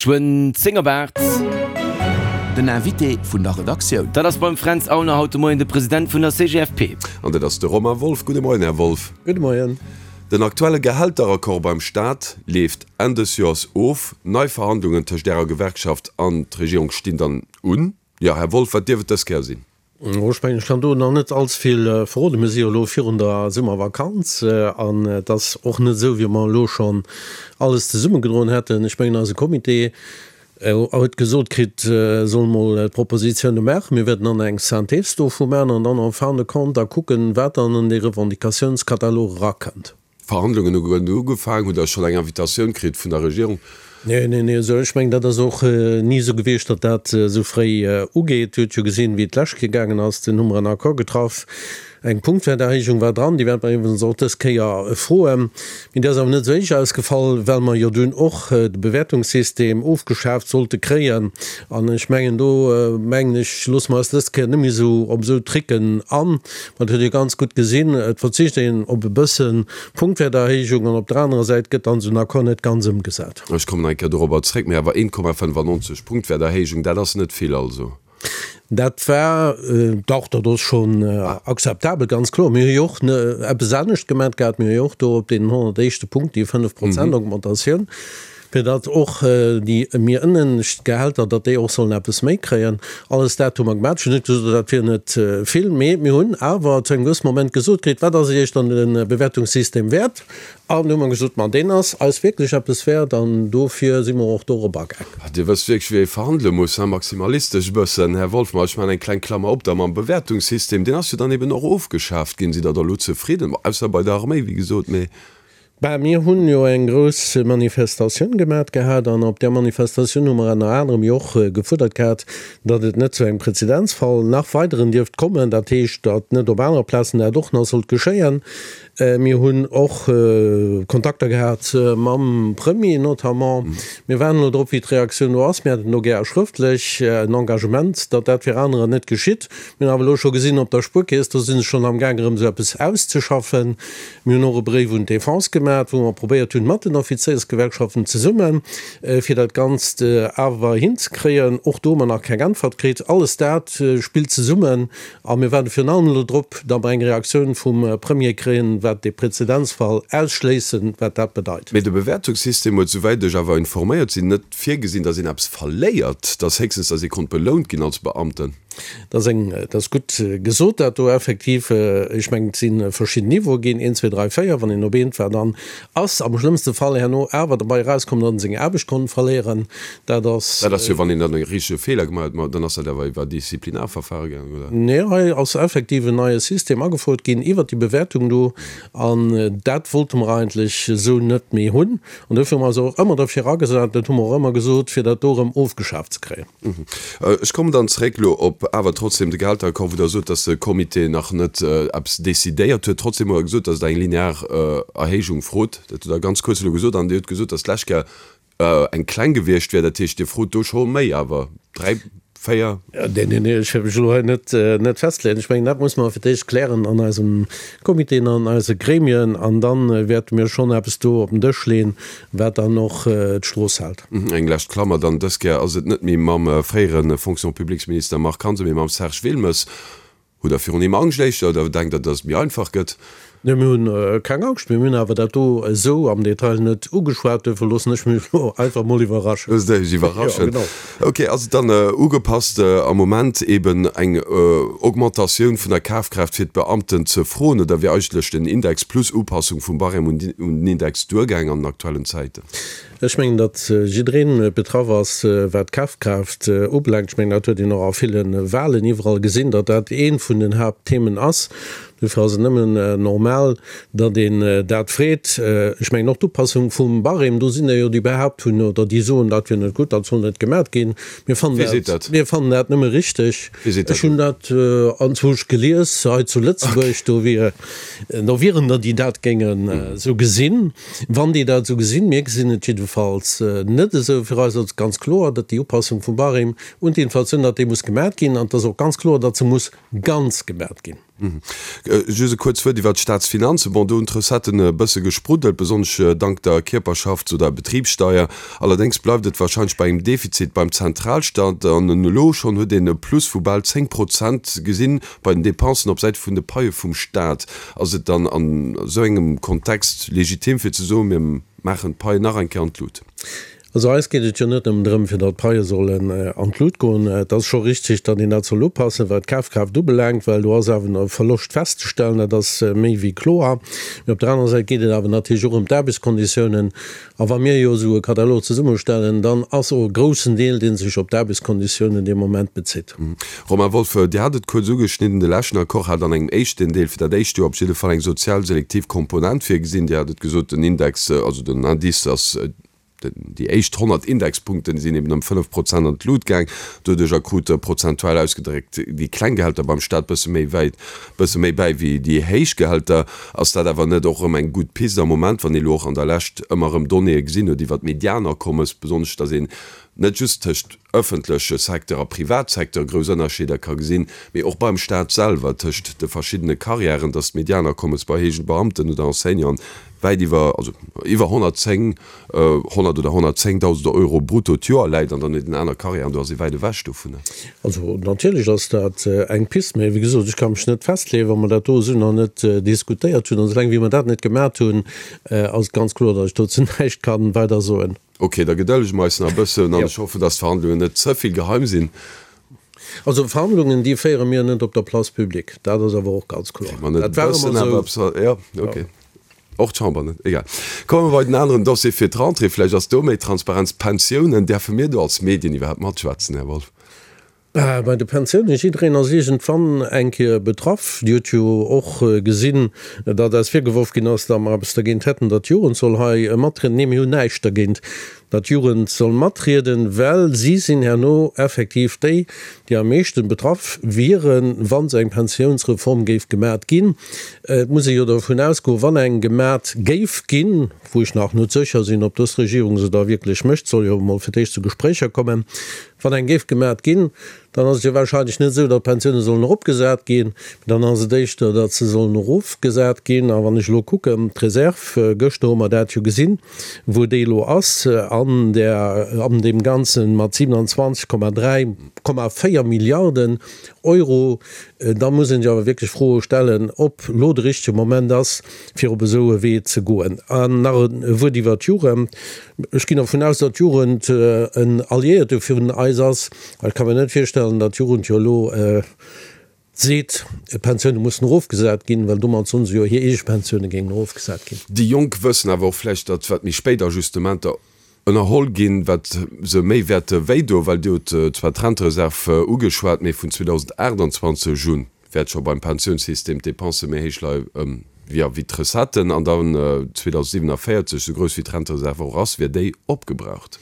Geschwënn 10 op 8. Den Invité vun der Redaktioun. Dat ass beim Fränz Aulner haut de Moien de President vun der CGFP. An dat ass de Romain Wolff. Gudde Moien, Här Wolff. Gudde Moien. Den aktuelle Gehälteraccord beim Staat leeft Enn dës Joers of. Nei Verhandlungen tëscht Ärer Gewerkschaft an d'Regierung stinn dann un. Jo, Här Wolff, wat dierf et dës Kéier sinn? Ech mengen, ech kann do nach net allze vill verroden. Mir si jo elo virun der Summervakanz an et ass och net esou, wéi wa mer elo schonn alles zesummegedroen hätten. Ech mengen, eise Comité huet gesot kritt, e soll mol d'Propositioune maachen. Mir wäerten dann eng Synthèse dovu maachen an dann en fin de compte da kucken, wat dann an dee Revendicatiounskatalog erakënnt. D'Verhandlungen hu grad ugefaang. Hutt Der schonn eng Invitatioun kritt vun der Regierung? Nee, nee, nee. Also ech mengen, dat ass och ni esou gewiescht, datt dat esou fréi ugeet. Dir hutt jo gesinn, wéi et d'lescht Kéier gaangen ass. Dunn hu mer en Accord getraff. Eng Punktwäerterhéijung war dran, déi wäerte mer iwwregens och dës Kéier froen. Mee déi ass awer net esou héich ausgefall, well mer jo dunn och de Bewäertungssystem ofgeschaaft sollte kréien. An ech mengen, do mengen ech, loosse mer eis dës Kéier net méi esou op esou Tricken an. Ma et huet ee ganz gutt gesinn, et verzicht een op e bësse Punktwäerterhéijung an op der anerer Säit gëtt dann esou en Accord net ganz ëmgesat. Ech kommen nach eng Kéier dorobber zréck, mee awer 1,95 Punktwäerterhéijung, dat ass net vill also. Dat war, dach, dat ass schonn akzeptabel, ganz kloer. Mir hu jo och eppes anescht gemat gehat, mir hu jo och do op deenen 100 éischte Punkt déi 5 Prozent Augmentatioun. Fir datt och déi méi ënnescht Gehälter, datt déi och sollen eppes méi kréien. Alles dat hu mer gemaach. Ech hunn net gesot, dat wier net vill, mee mir hunn awer zu engem gewësse Moment gesot kritt, wat ass Iech dann de Bewäertungssystem wäert? An du hu mer gesot, ma deen ass eis wierklech eppes wäert an dofir si mer och dorop agaang. Dir wësst wierklech, wéi ee verhandele muss, hein? Maximalistesch e bëssen, Här Wolff. Ma ech maachen eng kleng Klammer op da mam Bewäertungssystem. Deen ass jo dann eben och ofgeschaaft ginn. Sidd Der da elo zefridden? Bon, ausser bei der Arméi, wéi gesot, mee. Bah, mir hunn jo eng grouss Manifestatioun gemat gehat an op där Manifestatioun hu mer enner anerem jo och gefuerdert gehat, datt et net zu engem Prezedenzfall nach weideren dierft kommen, dat heescht, datt net op anere Plazen dat och nach sollt geschéien. Mir hunn och Kontakter gehat mam Premier notamment. Mir waarden elo drop, wéi d'Reaktioun do ass. Mir hätten do gär schrëftlech en Engagement, datt dat fir anerer net geschitt. Mir hunn awer elo scho gesinn op der Spuerkeess, do si se schonn amgaang erëm esou eppes auszeschaffen. Mir hunn och e Bréif un d'Defense gemat, wou mer probéiert hunn, mat den Offizéiersgewerkschaften zesummen, fir dat Ganzt awer hinzekréien. Och do hu mer nach keng Äntwert kritt. Alles dat spillt zesummen a mir waarde virun allem elo drop, datt mer eng Reaktioun vum Premier kréien, wat dee Prezedenzfall ausschléissen, wat dat bedeit. Mee de Bewäertungssystem huet, souwäit ech awer informéiert sinn, net virgesinn, datt een eppes verléiert, datt héchstens, datt ee konnt belount ginn als Beamten. Dat ass eng, dat ass gutt gesot, dat do effektiv. Ech mengen, et si verschidden Niveaue ginn, een, zwee, dräi, véier. Wann een op eent war, dann ass am schlëmmste Fall herno awer derbei erauskomm, datt en seng Aarbecht konnt verléieren. Dat ass. Dat ass jo, wann een dann e richtege Feeler gemaach huet, ma dann ass dat awer iwwer Disziplinarverfahre gaangen, oder? Nee, hei ass effektiv en neie System agefouert ginn iwwert déi Bewäertung do. An dat wollte mer eigentlech esou net méi hunn. An dofir hu mer eis och ëmmer derfir agesat, dat hu mer och ëmmer gesot, fir dat do erëm ofgeschaaft ze kréien. Ech kommen dann zréck elo op awer trotzdem de Gehälteraccord, wou Der sot, dass de Comité nach net eppes decidéiert huet. Trotzdem hutt Der gesot, dass Der eng linear Erhéijung frot. Dat hutt Der ganz kuerz elo gesot. An Dir hutt gesot, dass d'lescht Kéier eng kleng gewiescht wär. Dat heescht, Dir frot do scho méi awer, dräi, véier? Nee, nee, nee, ech wëll mech elo hei net, net festleeën. Ech mengen, dat muss mer fir d'éischt klären an eisem Comité an eise Gremien. An da wäerte mir schonn eppes do op den Dësch leeën, wat dann och d'Strooss hält. Eng lescht Klammer dann, Dës Kéier ass et net méi mam fréiere Fonction-publiques-Minister Marc Hansen, mee mam Serge Wilmes. Hutt Der virun him Angscht éischter oder denkt Der, datt et méi einfach gëtt? Nee, mir hunn keng Angscht. Mir hunn awer dat do esou am Detail net ugeschwat. Duerfir loossen ech mech elo einfach mol iwwerraschen. Loosst Iech iwwerraschen. Jo, genau. Ok, ass et dann ugepasst am Moment eben eng Augmentatioun vun der Kafkraaft fir d'Beamten ze froen oder wier eigentlech den Index plus Upassung vum Barème un den Index duergaang an den aktuellen Zäiten? Ech mengen, datt jidderee betraff ass, wat d'Kafkraaft ubelaangt. Ech mengen, dat huet een och a ville Wahlen iwwerall gesinn, datt dat eent vun den Haaptthemen ass. Dofir ass et nëmmen normal, datt een dat freet. Ech mengen och d'Upassung vum Barème, do sinn der jo, déi behaapt hunn oder déi soen, dat wier net gutt, dat soll net gemat ginn. Mir fannen dat, mir fannen dat nëmme richteg. Ech hunn dat anzwousch gelies hei zu Lëtzebuerg, do wier, do wieren der, déi dat géingen esou gesinn. Wann déi dat esou gesinn, mir gesinn et jiddefalls net esou, fir eis ass et ganz kloer, datt déi Upassung vum Barème un d'Inflatioun, datt déi muss gemat ginn an et ass och ganz kloer, datt se muss ganz gemat ginn. Just e kuerzt Wuert iwwert d'Staatsfinanzen. Bon, do hunn d'Recetten e bësse gespruddelt, besonnesch dank der Kierperschafts oder Betribssteier. Allerdéngs bleift et warscheinlech bei engem Defizit beim Zentralstaat. An elo schonn huet een e Plus vu bal 10 Prozent gesinn bei den Depensen op Säit vun de Paie vum Staat. Ass et dann an esou engem Kontext legitim fir ze soen, mir maachen d'Paien nach eng Kéier an d'Lut? Also eis geet et jo net nëmmen drëm, fir datt d'Paie sollen an d'Lut goen. Et ass scho richtig, datt een dat soll upassen, wat d'Kafkraaft ubelaangt, well do ass awer e Verloscht festzestellen, dat ass méi wéi kloer. Mee op der anerer Säit geet et awer natierlech och ëm d'Aarbechtskonditiounen. A wa mir jo esou e Katalog zesummestellen, dann ass och e groussen Deel, dee sech op d'Aarbechtskonditiounen dee Moment bezitt. Romain Wolff, Dir hat et kuerz ugeschnidden, de leschten Accord hat an engem éischten Deel fir dat éischt Joer op jidde Fall eng sozial selektiv Komponent virgesinn. Dir hat et gesot, den Index, also den Indice ass, déi éischt 100 Indexpunkten sinn eben ëm 5 Prozent an d'Lut gaang. Doduercher krute prozentual ausgedréckt déi kleng Gehälter beim Staat bësse méi wäit, bësse méi bäi wéi déi héich Gehälter. Ass dat awer net och erëm eng gutt Pist am Moment, wann ee elo och an der Lescht ëmmer erëm Donnéeë gesinn huet iwwert d'Medianakommes, besonnesch datt een net just tëscht ëffentleche Secteur a Privatsecteur grouss Ënnerscheeder ka gesinn, mee och beim Staat selwer tëscht de verschiddene Carrièren, datt d'Medianakommes bei héijen Beamten oder Enseignanten wäit iwwer, also iwwer 110, 100 oder 110.000 Euro brutto d'Joer läit an dann huet een aner Carrièren, do ass ee wäit ewech dovunner. Also natierlech ass dat eng Pist, mee wéi gesot, ech ka mech net festleeën, wa mer dat do esou nach net diskutéiert hunn. An esoulaang wéi mer dat net gemat hunn, ass et ganz kloer, datt ech dozou näischt ka weider soen. Ok, da gedëllege mer eis nach e bëssen an ech hoffen, dass d'Verhandlungen net ze vill geheim sinn. Also Verhandlungen, déi féiere mir net op der Place publique, dat ass awer och ganz kloer. Kritt mer net e bëssen awer eppes? Jo, ok. Och d'Chamber net? Egal. Komme mer bei den aneren Dossier fir d'Rentrée. Vläicht ass do méi Transparenz. D'Pensiounen, däerfe mir do als Medien iwwerhaapt matschwätzen, Här Wolff? Bei de Pensiounen, jiddereen ass iergendwann eng Kéier betraff. Dir hutt jo och gesinn, datt eis virgeworf ginn ass, datt mer eppes dergéint hätten, datt d'Jugend soll hei matrieden. Nee, mir hunn näischt dergéint, datt d'Jugend soll matrieden, well si sinn herno effektiv déi, déi am meeschten betraff wieren, wa se eng Pensiounsreform géif gemat ginn. Et muss ee jo dovun ausgoen, wann eng gemat géif ginn, wou ech nach net sécher sinn, ob dës Regierung se da wierklech mécht, soll jo emol fir d'éischt zu Gespréicher kommen, Wann eng géif gemat ginn, dann ass et jo wahrscheinlech net esou, datt d'Pensioune sollen eropgesat ginn, mee dann ass et éischter, datt se sollen erofgesat ginn. A wann ech elo kucken, d'Reserv, gëschter hu mer dat jo gesinn, wou déi elo ass an där, an deem Ganze mat 27,3, 4 Milliarden Euro, da muss een sech awer wierklech Froe stellen, ob elo de richtege Moment ass, fir op esou e Wee ze goen. An nach e Wuert iwwert d'Jugend. Ech ginn dervun aus, datt d'Jugend en Alliéierte vun eis ass. Ech ka mir net virstellen, datt d'Jugend jo elo seet, d'Pensioune mussen erofgesat ginn, well domat soen se jo, hir eege Pensioune géingen erofgesat ginn. Déi Jonk wëssen awer och vläicht, datt wat méi spéit Ajustementer ënnerholl ginn, wat se méi wäerte wéidoen, well Dir hutt zwar d'Rentereserv ugeschwat, mee vun 2028 un wäert scho beim Pensiounssystem d'Depensë méi héich leie wéi d'Recetten an dann 2047, esou grouss wéi d'Rentereserv och ass, wier déi opgebraucht.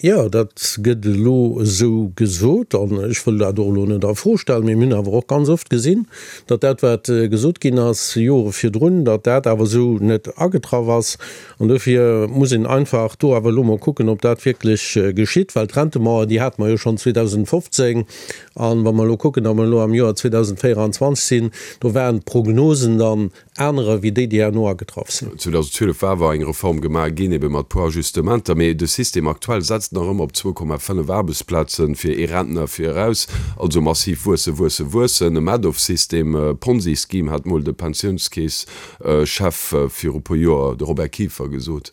Jo, dat gëtt elo esou gesot an ech wëll dat och elo net a Fro stellen, mee mir hunn awer och ganz oft gesinn, datt dat, wat gesot ginn ass Jore virdrun, datt dat awer esou net agetraff ass. An dofir muss een einfach do awer elo mol kucken, ob dat wierklech geschitt, well d'Rentemauer, déi hate mer jo schonn 2015. An wa mer elo kucken, datt mer elo am Joer 2024 sinn, do waren d'Prognosen dann anerer wéi déi, déi herno agetraff sinn. 2012 war awer eng Reform gemaach ginn, ebe mat puer Ajustementer, mee de System aktuell setzt nach ëmmer op 2,5 Aarbechtsplaze fir ee Rentner fir eraus, also massiv wuesse, wuesse, wuessen. E Madoff-System, Ponzi-Scheme hat mol de Pensiounskeess Chef viru puer Joer, de Robert Kieffer, gesot.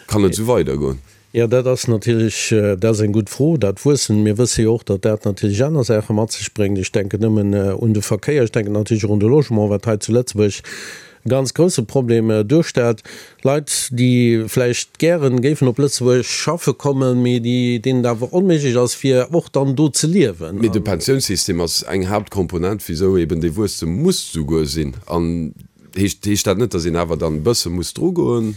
Kann et esou weidergoen? Jo, dat ass natierlech, dat ass eng gutt Fro, dat Wuessen. Mir wësse jo och, datt dat natierlech aner Saache mat sech bréngt. Ech denken nëmmen un de Verkéier, ech denken natierlech och un de Logement, wat hei zu Lëtzebuerg e ganz grousse Problem duerstellt. Leit, déi vläicht gären géifen op Lëtzebuerg schaffe kommen, mee déi, deenen et awer onméiglech ass, fir och dann do ze liewen. Mee de Pensiounssystem ass eng Haaptkomponent, wisou eben dee Wuesstem muss souguer sinn. An heescht, heescht dat net, datt een awer dann e bësse muss drugoen?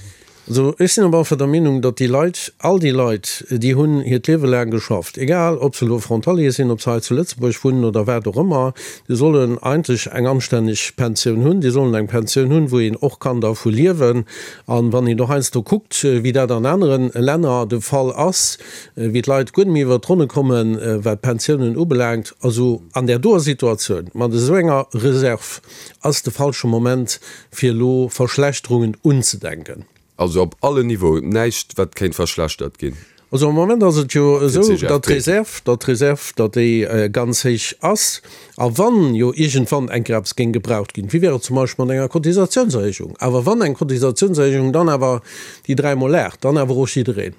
Also ech sinn op alle Fall der Meenung, datt déi Leit, all déi Leit, déi hunn hiert Liewe laang geschafft, egal ob se elo Frontalier sinn, ob se hei zu Lëtzebuerg wunnen oder wat och ëmmer, déi sollen eigentlech eng anstänneg Pensioun hunn. Déi sollen eng Pensioun hunn, wou een och kann dervu liewen. A wann een do heiansdo kuckt, wéi dat an anere Länner de Fall ass, wéi d'Leit guer net méi iwwert d'Ronne kommen, wat d'Pensiounen ubelaangt, also an där doer Situatioun mat esou enger Reserve, ass de falsche Moment fir elo Verschlechterungen unzedenken. Also op allen Niveauen näischt wat kéint verschlechtert ginn? Also am Moment ass et jo esou, datt d'Reserv, datt d'Reserv, datt déi ganz héich ass. A wann jo iergendwann eng Kéier eppes géing gebraucht ginn, wéi wär et zum Beispill mat enger Cotisatiounserhéijung, awer wann eng Cotisatiounserhéijung, dann awer déi dräimol 8, dann awer och jiddereen.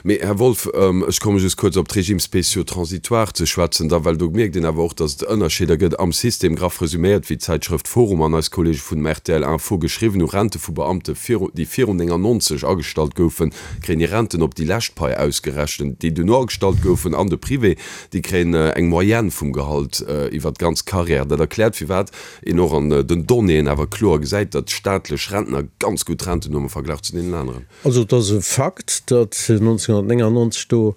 Mee, Här Wolff, ech komme just kuerz op d'Régimes spéciaux transitoires ze schwätzen, da well do mierkt een awer och, datt et Ënnerscheeder gëtt am System. Graff resuméiert, wéi d'Zäitschrëft Forum an eis Kollege vun dem rtl Info geschriwwen hu, Rente vu Beamte viru, déi virun 99 agestallt goufen, kréien hir Renten op déi lescht Pai ausgerechent. Déi duerno agestallt goufen an de Privé, déi kréien eng Moyenne vum Gehalt iwwer d'ganz Carrière. Dat erkläert, firwat een och an den Donnéeën awer kloer gesäit, datt staatlech Rentner ganz gutt Renten hunn am Verglach zu deenen aneren. Also et ass e Fakt, datt 1999 do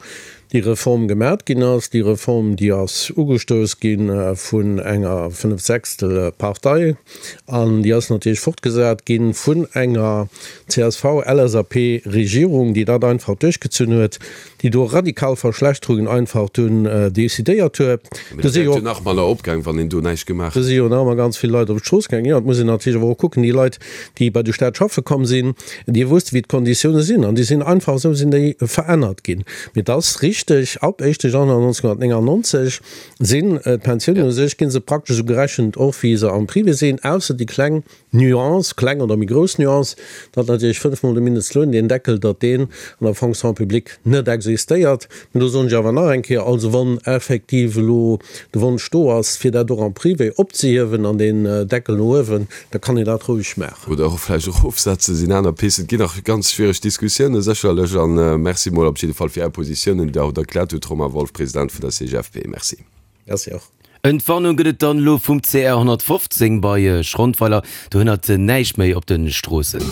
déi Reform gemat ginn ass. Déi Reform, déi ass ugestouss gi vun enger Fënneftsechstel Partei an déi ass natierlech fortgesat gi vun enger CSV-LSAP-Regierung, déi dat einfach duerchgezunn huet. déi do radikal Verschlechterungen einfach dunn decidéiert huet. Mee dat wäert jo nach manner opgaang, wann een do näischt gemaach hätt. Do si jo nach ëmmer ganz vill Leit op d'Strooss gaangen. Jo, et muss een natierlech awer och kucken, déi Leit, déi bei de Staat schaffe komm sinn, déi wusste wéi d'Konditioune sinn an déi sinn einfach esou sinn déi verännert ginn. Mee et ass richteg, ab éischte Januar 1999 sinn d'Pensiounen u sech, gi se praktesch esou gerechent och wéi se am Privé sinn, ausser déi kleng Nuance, kleng oder méi grouss Nuance, datt natierlech fënnfmol de Mindestloun, deen Deckel, datt deen an der Fonction publique net existéiert. Mä do soen ech awer nach eng Kéier, also wann effektiv elo de Wonsch do ass, fir dat och am Privé opzehiewen an deen Deckel no uewen, da kann een dat roueg maachen. Oder och vläicht erofsetzen, sinn aner Pisten. Et ginn nach ganz schwiereg Diskussiounen sécherlech. A Merci mol op jidde Fall fir Är Positiounen, déi Der haut erkläert hutt, Romain Wolff, President vun der CGFP. Merci. Merci och. Entwarnung gëtt et dann elo vum CR 115 bei Schrondweiler. Do hënnert näischt méi op de Stroossen.